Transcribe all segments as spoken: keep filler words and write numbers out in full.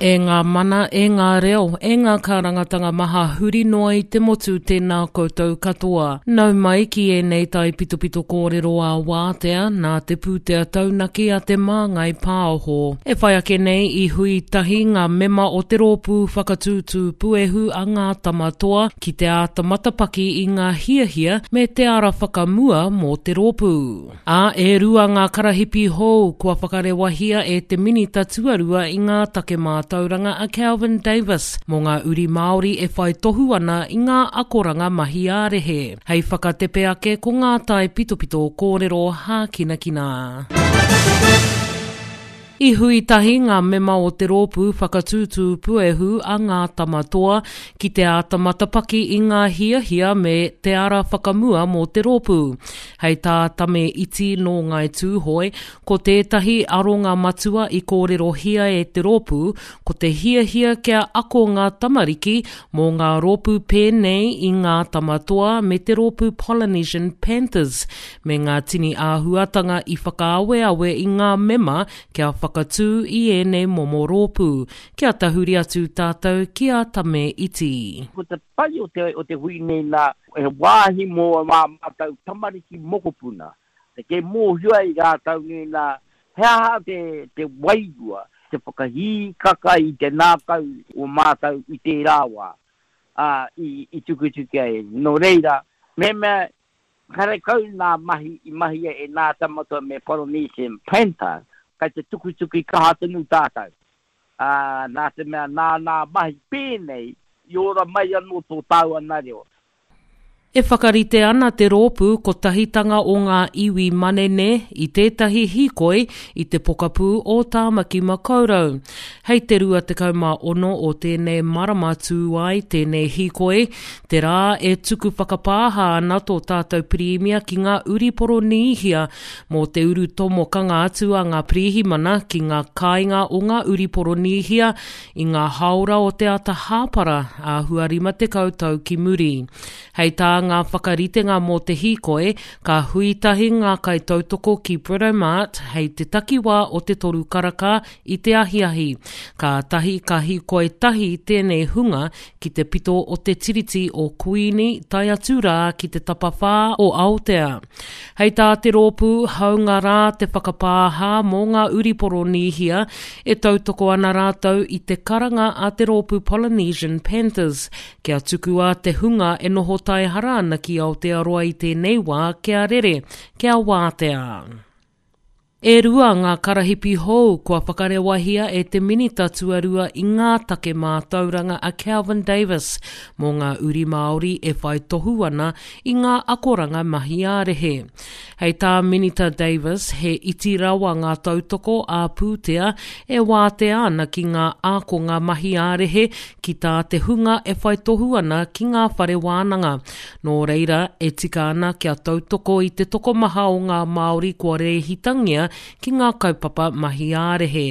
E ngā mana, e ngā reo, e ngā kārangatanga maha huri noa i te motu tēnā koutou katoa. Nau mai ki ēnei taipitopito kōrero ā wātea nā te pūtea taunaki a Te Māngai Pāho. E whai ake nei i hui tahi ngā mema o te rōpū whakatūtū puehu a Ngā Tama Toa ki te āta matapaki i ngā hiahia me te ara whakamua mō te rōpū. Ā, e rua ngā karahipi hou kua whakarewahia e te Minita Tuarua i ngā take mātauranga a Kelvin Davis mō ngā uri Māori e whai tohu ana i ngā akoranga mahi ā-rehe. Hei whakatepe ake ko ngā taipitopito kōrero hākinakina. I hui tahi ngā mema o te rōpū whakatūtū puehu a Ngā Tama Toa ki te āta matapaki i ngā hiahia me te ara whakamua mō te rōpū. Hei tā Tame Iti nō Ngāi Tūhoe, ko tētahi aronga matua i kōrerohia e te rōpū, ko te hiahia kia ako ngā tamariki mō ngā rōpū pēnei i Ngā Tama Toa me te rōpū Polynesian Panthers, me ngā tini āhuatanga i whakaaweawe i ngā mema kia whakatū i ēnei momo rōpū. Kia tahuri atu tātou ki a Tame Iti. Ko te pai o te, o te hui nei nā, he wāhi mō ā mātou tamariki mokopuna, te kei mōhio ai rātou nei nā, he aha te, te wairua, te whakahīkaka i te ngākau o mātou i tērā wā, ā, i, i tukutuki ai. Nō reira, mehemea karekau nā mahi i mahia e Nā Tama Toa me Polynesian Panther, kei te tukutuki kaha tonu tātou. Ā, nā te mea nā nā mahi pēnei i ora mai anō tō tāua nā reo. E whakarite ana te rōpū Kotahitanga o Ngā Iwi Manene i tētahi hīkoi i te pokapū o Tāmaki Makaurau. Hei te rua tekau mā ono o tēnei marama tū ai tēnei hīkoi, te rā e tuku whakapāha ana tō tātou Pirimia ki ngā uri Poronīhia mō te urutomokanga atu a ngā pirihimana ki ngā kāinga o ngā uri Poronīhia i ngā hāora o te ata hāpara āhua rima tekau tau ki muri. Hei tā ngā whakaritenga mō te hīkoi, ka hui tahi ngā kaitautoko ki Britomart hei te takiwā o te toru karaka i te ahiahi. Kātahi ka hīkoi tahi tēnei hunga ki te pito o te Tiriti o Kuini tae atu rā ki te tapawhā o Aotea. Hei tā te rōpū, hāunga rā te whakapāha mō ngā uri Poronīhia, e tautoko ana rātou i te karanga a te rōpū Polynesian Panthers kia tukua te hunga e noho taihara ana ki Aotearoa i tēnei wā kia rere, kia wātea. E rua ngā karahipi hou kua whakarewahia e te Minita Tuarua i ngā take mātauranga a Kelvin Davis mō ngā uri Māori e whai tohu ana i ngā akoranga mahi ā-rehe. Hei tā Minita Davis, he iti rawa ngā tautoko ā-pūtea e wātea ana ki ngā ākonga mahi ā-rehe ki tā te hunga e whai tohu ana ki ngā whare wānanga. Nō reira, e tika ana kia tautoko i te tokomaha o ngā Māori kua rēhitangia ki ngā kaupapa mahi ā-rehe.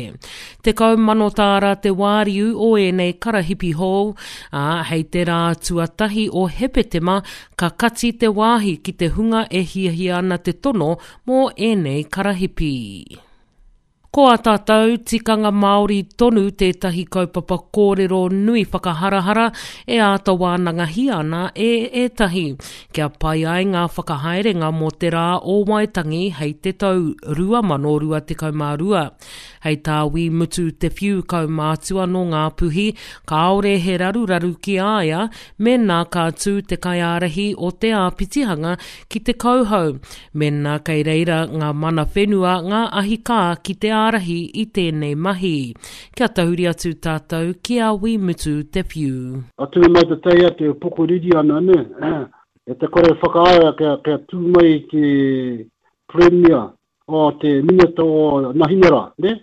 Tekau mano tāra te wāriu o ēnei karahipi hou, ā, hei te rā tuatahi o Hepetema ka kati te wāhi ki te hunga e hiahia ana te tono mō ēnei karahipi. Ko ā tātou tikanga Māori tonu tētahi kaupapa kōrero nui whakaharahara e āta wānangahia ana e ētahi, kia pai ai ngā whakahaerenga mō te Rā o Waitangi hei te tau rua mano rua tekau mā rua. Hei tā Wī Mutu Te Whiu kaumātua nō Ngāpuhi, kāore he raruraru ki a ia mēnā ka tū te kaiārahi o te āpitihanga ki te kauhau, Mēnā kei reira ngā mana whenua, ngā ahi kā ki te ārahi i tēnei mahi. Kia tahuri atu tātou ki a Wī Mutu Te Whiu. Atu i mai te teia te pokoriri ana ne, e te kore whakaae kia, kia tū mai te Premier o te Minita o Nahinara, ne?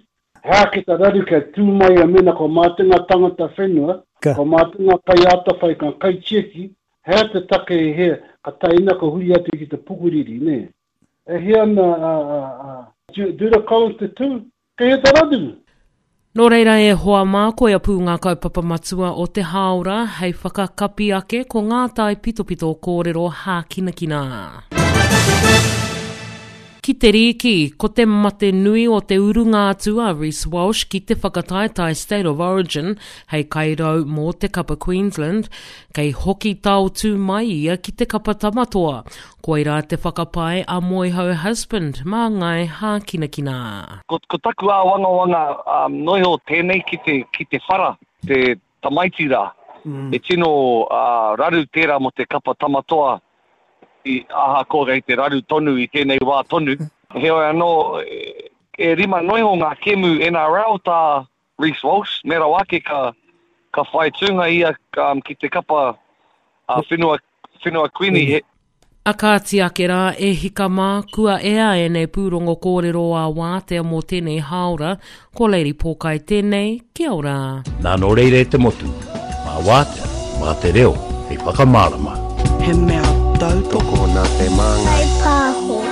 He aha ki te raru kia tū mai a mena ko mātou ngā tangata whenua, ko mātou ngā kaiātawhai, ngā kaitiaki, He aha te take i hea, ka tae ina ka huri atu ki te pukuriri, nē? E hea ana a, a, a Judah Collins te tū? Kei hea te raru? Nō reira e hoa mā, koia pū ngā kaupapa matua o te hāora hei whakakapi ake ko ngā taipitopito kōrero hākinakina. Ki te rīki, ko te mate nui o te urunga atu a Reece Walsh ki te whakataetae State of Origin hei kairau mō te kapa Queensland, kei hoki taotū mai ia ki te kapa Tamatoa. Koirā te whakapae a Moehau Husband mā Ngai Hākinakina. Ko, ko taku āwangawanga um, noiho tēnei ki te, ki te whara, te tamaiti rā. Mm. E tino uh, raru tērā mō te kapa Tamatoa, i ahakoa kei te raru tonu i tēnei wā tonu. Heoi anō, e, e rima noiho ngā kemu N R L tā Reece Walsh, me rawa ake ka, ka whai tūnga ia um, ki te kapa uh, whenua, whenua Queenie. He, A kāti ake rā e hika mā, kua ea e nei pūrongo kōrero a wātea mō tēnei hāora, ko Lady Pōkai tēnei, kia ora. Nā nō reira e te motu, mā wātea, mā te reo, hei whakamārama. He mea tautoko nā te māngai. Pāho.